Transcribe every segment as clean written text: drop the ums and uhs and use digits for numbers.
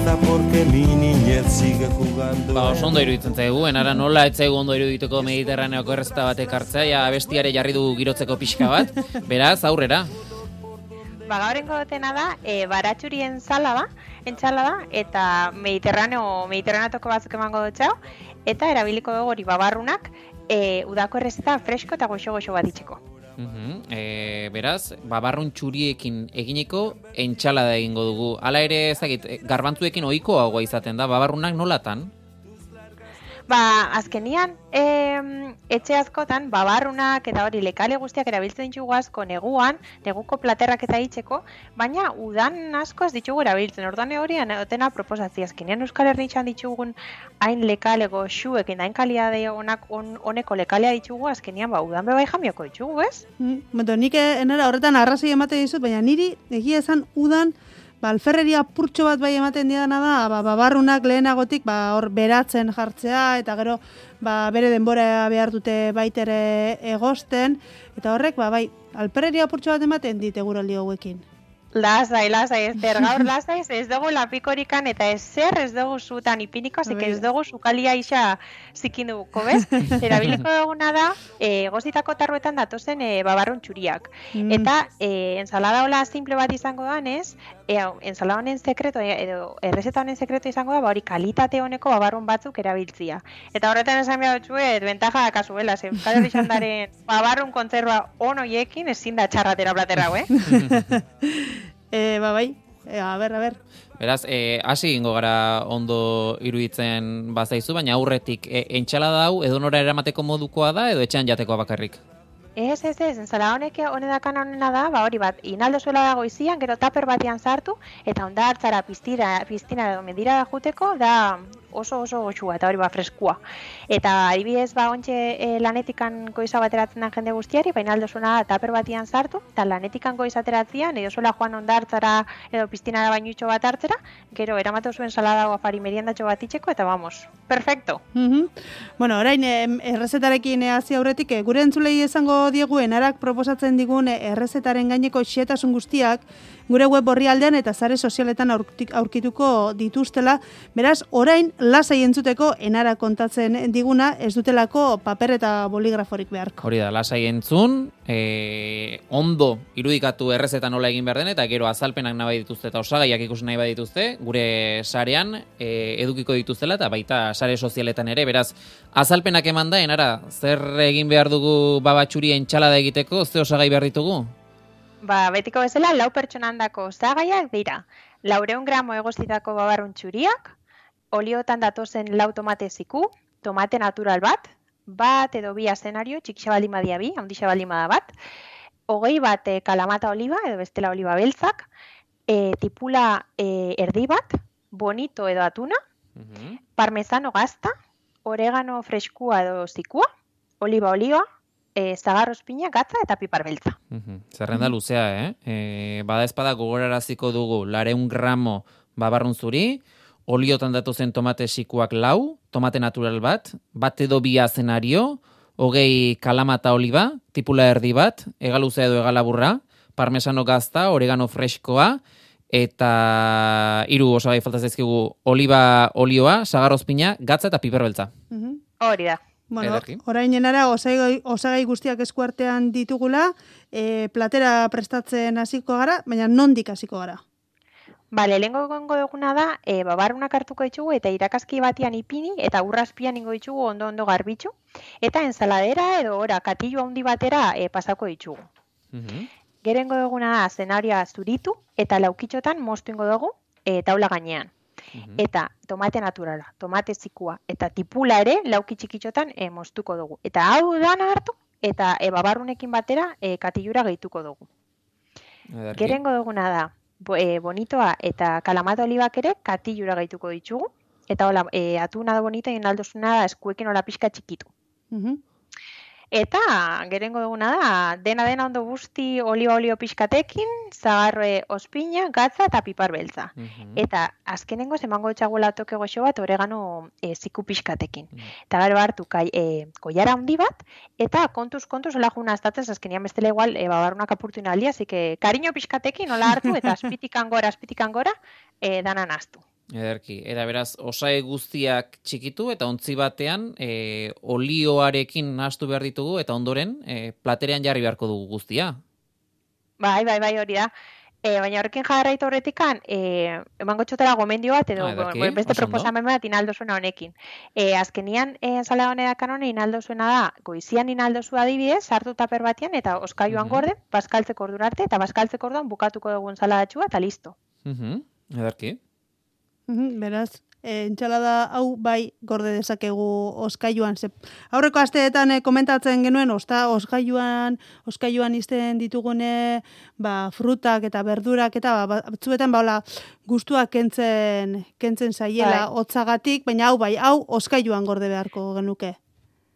casa porque mi niñez sigue jugando. Oso ondo iruditzen zaigu, enara nola ez zaigu ondo irudituko Mediterraneoko errezeta batek hartzea, ja abestiare jarri du girotzeko pixka bat, beraz, aurrera. Gaurengo dutena da, baratxuri entsalada, eta mediterraneatoko batzuk emango dutxau, eta erabiliko dugu hori babarrunak, udako errezeta fresko eta goxo-goxo bat itxeko. Beraz, babarrun txuriekin eginiko entsalada egingo dugu. Hala ere, ezagit, garbantzuekin ohikoagoa izaten da, babarrunak nolatan? Azkenian, etxe askotan, babarrunak eta hori lekale guztiak erabiltzen ditugu asko neguan, neguko platerrak eta itxeko, baina udan asko ez ditugu erabiltzen. Orduan hori anotena proposazio azkenean Euskal Herrian ditugun hain lekalego xuekin, hain kaliade honeko lekalea ditugu azkenian udan bebai jamioko ditugu, ez? Nik enera horretan arrazoi emate dizut, baina niri egia esan udan alferreria purtxo bat bai ematen diana da, babarrunak lehenagotik hor beratzen jartzea, eta gero bere denbora behar dute baitere egosten, eta horrek bai, alferreria purtxo bat ematen dit eguraldi hauekin. Lasai, gaur lasai, ez dugu lapikorikan eta ez dugu zutan ipiniko, zik ez dugu zukalia isa zikin duguko, bez? Erabiliko duguna da, gozitako tarruetan datozen babarrun txuriak. Eta ensalada hola simple bat izango da, ez? Ensalada honen sekreto, edo errezeta honen sekreto izango da, hori kalitate honeko babarrun batzuk erabiltzia. Eta horretan esan behar dutxuet, bentaja da kasuela, Euskal Herrian babarrun kontzerba onoiekin ezin da txarratera platerra, Bai, a ber. Beraz, hasi egingo gara ondo iruditzen bazaizu, baina aurretik entsalada hau edonora eramateko modukoa da edo etxean jatekoa bakarrik? Ez, ensalada honena da, hori bat, inaldo zuela dago izian, gero taper batian sartu, eta onda hartzara piztina edo mendira juteko, da oso goxua, eta hori freskua. Eta adibidez, ontxe lanetikan goiza bateratzen den jende guztiari, baina aldo zuena da taper batian sartu, eta lanetikan goiza ateratzean, edo zuela joan onda hartzara edo piztinara bainutxo bat hartzera, gero eramatu zuen saladago afari meriendatxo bat itxeko, eta vamos, perfecto. Bueno, orain errezetarekin hasi aurretik, gure entzulei esango diegu enarak proposatzen digun errezetaren gaineko xehetasun guztiak gure web orrialdean eta sare sozialetan aurkituko dituztela. Beraz, orain lasai entzuteko enara kontatzen diguna ez dutelako paper eta boligraforik beharko. Hori da, lasai entzun, ondo irudikatu errezeta nola egin behar den, eta gero azalpenak nahi dituzte eta osagaiak ikusi nahi badituzte, gure sarean edukiko dituztela eta baita sare sozialetan ere. Beraz, azalpenak eman da, enara, zer egin behar dugu babatxuri entsalada egiteko, ze osagai behar ditugu? Betiko bezala, 4 pertsonandako osagaiak dira. 400 gramo egozitako babarrun txuriak, oliotan datozen 4 tomate ziku, tomate natural bat edo 2 azenario, txikixa baldin badia 2, handixa baldin bada bat, 20 bat kalamata oliba edo bestela oliba beltzak, tipula erdi bat, bonito edo atuna, parmesano gazta, oregano freskua edo zikua, oliba olioa, zagarro espina, gatza eta pipar beltza. Zerrenda luzea, Bada espada gogoraraziko dugu 400 gramo babarrun zuri, oliotan datozen tomate sikuak 4, tomate natural bat edo 2 azenario, 20 kalamata oliba, tipula erdi bat, egaluzea edo egalaburra, parmesano gazta, oregano freskoa, eta 3 osagai falta zaizkigu oliba olioa, zagarro espina, gatza eta pipar beltza. Hori da. Bueno, orain enara osagai guztiak eskuartean ditugula, platera prestatzen hasiko gara, baina nondik hasiko gara? Lehengo gongo duguna da, babarrunak hartuko ditugu eta irakazki batian ipini eta urrazpian ingo ditugu ondo garbitzu, eta ensaladera edo katillo handi batera pasako ditugu. Gerengo duguna da, zenarioa zuritu eta laukitxotan moztu ingo dugu taula gainean. Eta tomate naturala, tomate zikua eta tipula ere lauki txikitxotan moztuko dugu. Eta hau dana hartu eta babarrunekin batera katillura gehituko dugu. Gerengo duguna da, bonitoa eta kalamata olibak ere katillura gehituko ditugu. Eta hola, atuna da bonita egin aldozuna da eskuekin hola pixka txikitu. Eta gerengo duguna da, dena ondo guzti olio pixkatekin, zagarroe ospina, gatza eta pipar beltza. Eta azkenengo emango etxagoela toke goxo bat oregano ziku pixkatekin. Eta gero hartu koiara handi bat, eta kontuz hola juna aztatzen, azkenian bestela igual babarrunak apurtu inaldia, así que kariño pixkatekin hola hartu eta azpitikan gora, dana naztu. Ederki, eta beraz, osagai guztiak txikitu eta ontzi batean olioarekin nahastu behar ditugu eta ondoren platerean jarri beharko dugu guztia. Bai, hori da. Baina horrekin jarraitu horretikan, emango txotela gomendio bat, edo beste proposamen bat inaldo zuena honekin. Azkenian, ensala honedakan hone inaldo zuena da, goizian inaldo zu adibidez, sartu taper batian, eta oskailuan gorden, bazkaltzeko ordura arte, eta bazkaltzeko orduan bukatuko dugun saladatxua, eta listo. Ederki. Beraz, entxalada hau bai gorde dezakegu oskailuan. Aurreko asteetan komentatzen genuen oskailuan izten ditugune frutak eta berdurak eta batzuetan gustuak kentzen zaiela hotzagatik, baina hau oskailuan gorde beharko genuke.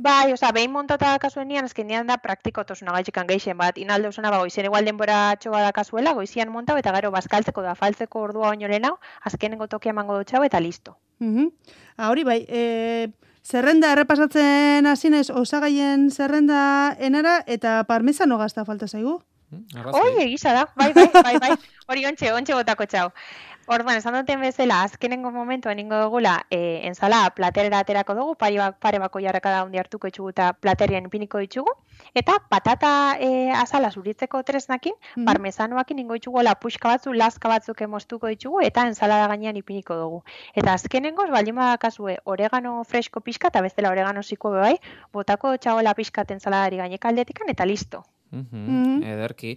Bai, behin montata kasuenian, azkenean da praktikotosuna gaitxikan geixen bat. Inaldo zuna goizien igual denbora txoba da kasuela, goizian montau eta gero bazkaltzeko da faltzeko ordua oino lehenau, azkenengo tokia emango dutxau eta listo. Hori bai, zerrenda errepasatzen hasi naiz osagaien zerrenda enara eta parmesano gazta falta zaigu. Egisa da, bai. Hori ontxe botako txau. Orduan, esan duten bezala, azkenengo momentu eningo dugula, ensala platerera aterako dugu, pare bako jarrakada hundi hartuko itxugu eta platerian ipiniko ditugu, eta patata azala zuritzeko tresnakin, parmesanoakin ingo itxugu puxka batzu, laska batzuk moztuko ditugu, eta ensalada gainean ipiniko dugu. Eta azkenengoz, baldin badakazue, oregano fresko pixka, eta bestela oregano ziko bai, botako txagola pixkat ensaladari gainekaldetikan, eta listo. Ederki.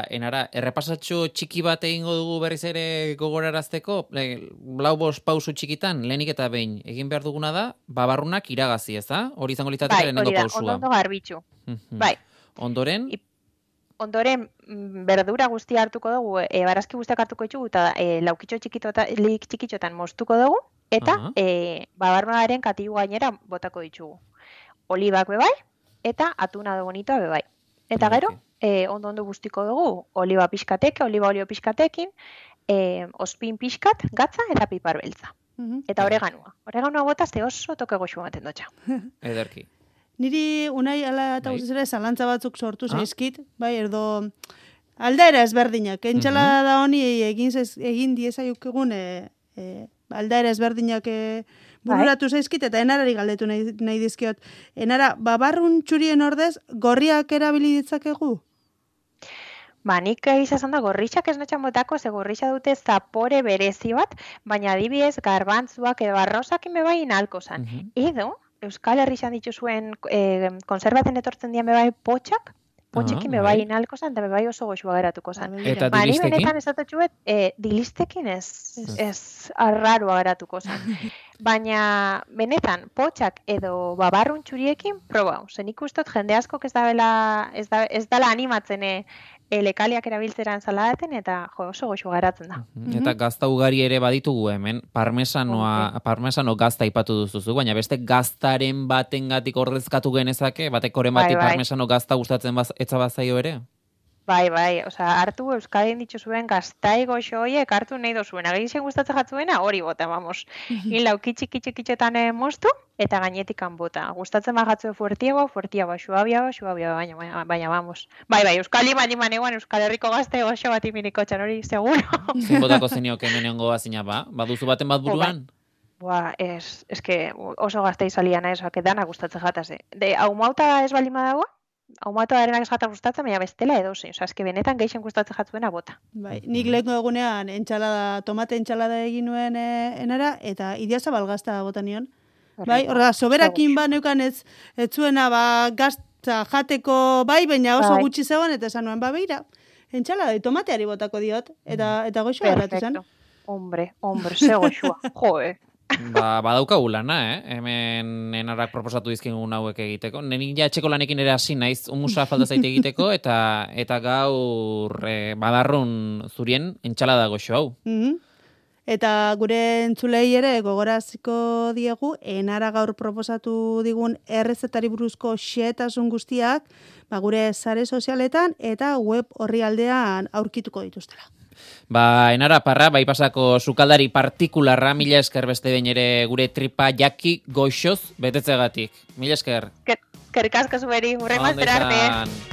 Enara, errepasatxo txiki bat egingo dugu berriz ere gogorarazteko, lau bost pausu txikitan, lehenik eta behin, egin behar duguna da, babarrunak iragazi, ez da? Hori izango litzateke lehenengo pausua. Bai, ondo garbitxu. Bai. Ondoren? Ondoren, berdura guztia hartuko dugu, barazki guztiak hartuko ditugu, eta laukitxo txikitxotan moztuko dugu, eta babarrunaren katilu gainera botako ditugu. Olibak bebai, eta atuna de bonitoa bebai. Eta gero, ondo guztiko dugu, oliba olio pixkatekin, ospin pixkat, gatza eta pipar beltza. Eta oreganua. Oreganua botazte oso toke goxu ematen dutxa. Ederki. Niri unai ala eta guztiz ere zalantza batzuk sortu zaizkit, bai, erdo aldaera ezberdinak. Entxalada da honi egin diezaiukegun aldaera ezberdinak bururatu zaizkit, eta enarari galdetu nahi dizkiot. Enara, babarrun txurien ordez, gorriak erabili ditzakegu? Nik izan da, gorritxak ez notxan botako, ze gorritxa dute zapore berezi bat, baina adibidez garbantzuak edo arrozakin bebai inalko zan. Edo, Euskal Herrixan dituzuen konserbaten etortzen dian bebai potxak, potxekin bebai inalko zan, eta bebai oso goxua geratuko zan. Eta dilistekin? Ni benetan esatotxuet, dilistekin ez arrarua geratuko zan. Baina benetan potxak edo babarrun txuriekin probau. Zen ikustot jende askok ez dala animatzen lekaliak erabiltzera ensaladaten eta oso goxua geratzen da. Eta gazta ugari ere baditugu hemen, parmesano gazta ipatu duzuzu, baina beste gaztaren batengatik ordezkatu genezake, batekoren bati parmesano gazta gustatzen etza bazaio ere? Bai, hartu Euskadin dituzuen gaztai goxo horiek hartu nahi dozuen. Agizien gustatzen jatzuena, hori bota, vamos. Hil laukitxikitxetan moztu, eta gainetikan bota. Gustatzen bajatzue fuertiago, suabia, baina, vamos. Bai, Euskal Liman eguan Euskal Herriko gazte goxo bat iminiko txan hori, seguro. Zein botako zenioke menengo bazina baduzu baten bat buruan? Que oso gazte izalian ezoak edana gustatzen jataze. Hau mauta ez baldin badagoa? Aumatu arenak esgata gustatzen, baina bestela edo zein. Eske benetan geixen gustatzen jatzuena bota. Bai, nik lehenko egunean tomate entxalada egin nuen enara, eta idiazabal gazta bota nion. Bai, soberakin neukan ez zuena gazta jateko bai, baina oso gutxi zegoen, eta esan nuen, beira, entxalada tomateari botako diot, eta goxua erratu zen. Hombre, ze goxua, joe. Badaukagu lana, hemen enarak proposatu dizkigun hauek egiteko. Nenik ja etxeko lanekin ere hasi naiz, umusa falta zaite egiteko, eta gaur badarrun zurien entxalada goxo hau. Eta gure entzulei ere gogoraziko diegu, enara gaur proposatu digun errezetari buruzko xehetasun guztiak, gure sare sozialetan eta web orrialdean aurkituko dituztela. Enara parra, pasako sukaldari partikularra, mila esker beste behin ere gure tripa jaki goxoz betetzegatik. Mila esker. Eskerrik asko zuberi, hurrengo arte.